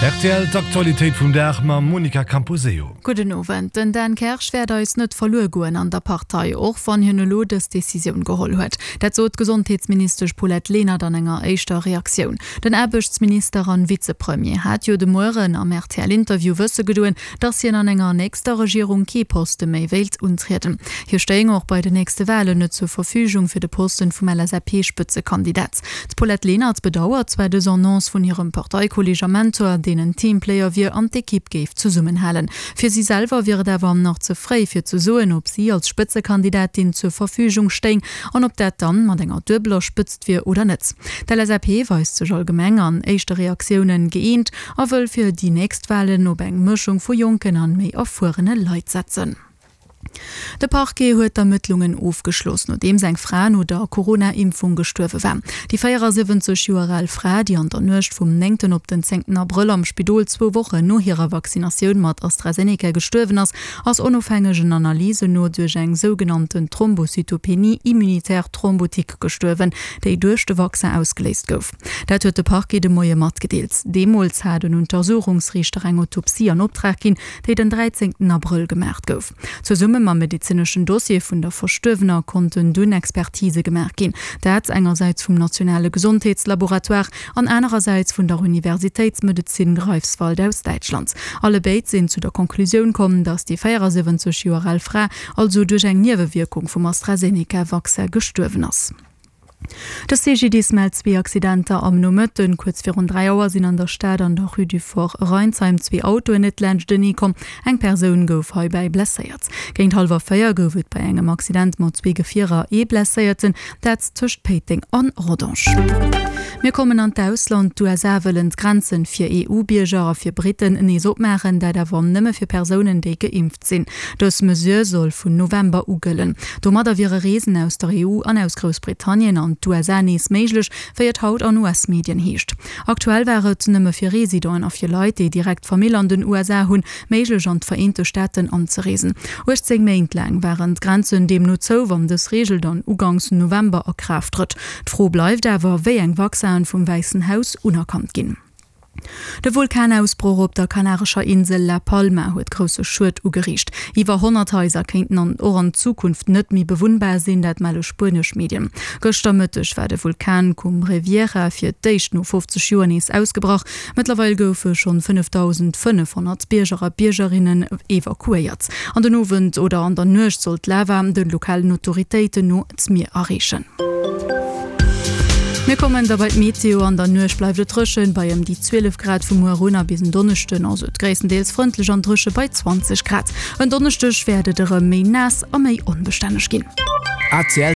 Rtl, D'Aktualitéit vum Dag mam Monica Camposeo. Gudden Owend. Den Dan Kersch wäert eis net verluer goen an der Partei, och wann hien elo dës Decisioun geholl huet. Dat sot d'Gesondheetsministesch Paulette Lenert an enger éischter Reaktioun. Den Aarbechtsminister an Vizepremier hat jo de Mueren am RTL-Interview wësse gedoen, datt hien an enger nächster Regierung kee Poste méi wéilt untrieden. Hie stéing och bei den nächste Walen net zur Verfügung fir de Posten vum LSAP-Spëtzekandidat. D'Paulette Lenert bedauert zwar dës Annonce vun hirem Parteikolleeg a Mentor, deen en Teamplayer wier an d'Ekipp géif zesummenhalen. Fir si selwer wier et awer nach ze fréi fir ze soen, ob si als Spëtzekandidatin zur Verfügung stéing an ob dat dann mat enger duebeler Spëtzt wier oder net. D'LSAP weist sech allgemeng an éischte Reaktiounen gëeent a wëll fir déi nächst Walen op eng Mëschung vu jonken an méi erfuerene Leit setzen. De Parquet huet d'Ermëttlungen ofgeschloss, nodeems eng Fra no der Corona-Impfung gestuerwe war. Déi 74 Joer al Fra, déi an der Nuecht vum néngten op den zéngten Abrëll am Spidol zwou Wochen no hirer Vaccinatioun mat AstraZeneca gestuerwen ass, ass onofhängegen Analysen no duerch eng sougenannten Thrombocytopenie immunitaire thrombotique gestuerwen, déi duerch de Vaccin ausgeléist gouf. Dat huet de Parquet de Moie matgedeelt. Deemools hat en Untersuchungsriichter eng Autopsie an Optrag ginn, déi den 13 Abrëll gemaacht gouf. Zesumme mam medezineschen Dossier vun der Verstuerwener konnten dunn Expertise gemaach ginn. Dat engersäits vum nationale Gesondheetslaboratoire an anerersäits vun der Universitéitsmedezin Greifswald aus Däitschland. Allebéid sinn zu der Conclusioun komm, datt déi 74 Joer al Fra also duerch eng Niewewierkung vum AstraZeneca-Vaccin gestuerwen ass. De CGDIS mellt zwee Accidenter am Nomëtten. Kuerz virun 3 Auer sinn an der Stad an der Rue du Fort Rheinsheim zwee Autoen net laanschtenee komm. Eng Persoun gouf heibäi blesséiert. Géint hallwer 4 gouf et bei engem Accident mat zwee Gefierer ee Blesséierten, dat tëscht Péiteng an Rodange. Mir kommen an d'Ausland. D'USA wëllen d'Grenzen fir EU-Bierger a fir Britten nees opmaachen, dat awer nëmme fir Persounen, déi geimpft sinn. Dës Mesure soll vun November u gëllen. Domadder wiere Reesen aus der EU an aus Groussbritannien an d'USA nees méiglech, wéi et haut an US-Medien heescht. Aktuell war et nëmme fir Residenten a fir Leit, déi direkt Famill an den USA hunn, méiglech an d'Vereente Staaten anzereesen. 18 Méint laang waren d'Grenzen deemno zou, wann dës Reegel dann uganks November a Kraaft trëtt. D'Fro bleift awer, wéi eng Vaccinen vum Wäissen Haus unerkannt ginn. De Vulkanausbroch op der kanarescher Insel La Palma huet grousse Schued ugeriicht. Iwwer 100 Haiser kéinten an och an Zukunft net méi bewunnbar sinn, dat melle spuenesch Medien. Gëschter Mëtteg war de Vulkan Cumbre Vieja fir d'éischt no 50 Joer nees ausgebrach. Mëttlerweil goufe schonn 5.500 Bierger a Biergerinnen evakuéiert. An den Owend oder an der Nuecht soll d'Lava de lokalen Autoritéiten no d'Mier erreechen. Mir kommen da bei d'Meteo. An der Nuecht bleift et dréchen, bei ëm déi 12 Grad. Vu muer un a bis en Donneschden ass et gréisstendeels frëndlech an dréche bei 20 Grad. En Donneschdeg wäert et erëm méi naass a méi onbestänneg ginn.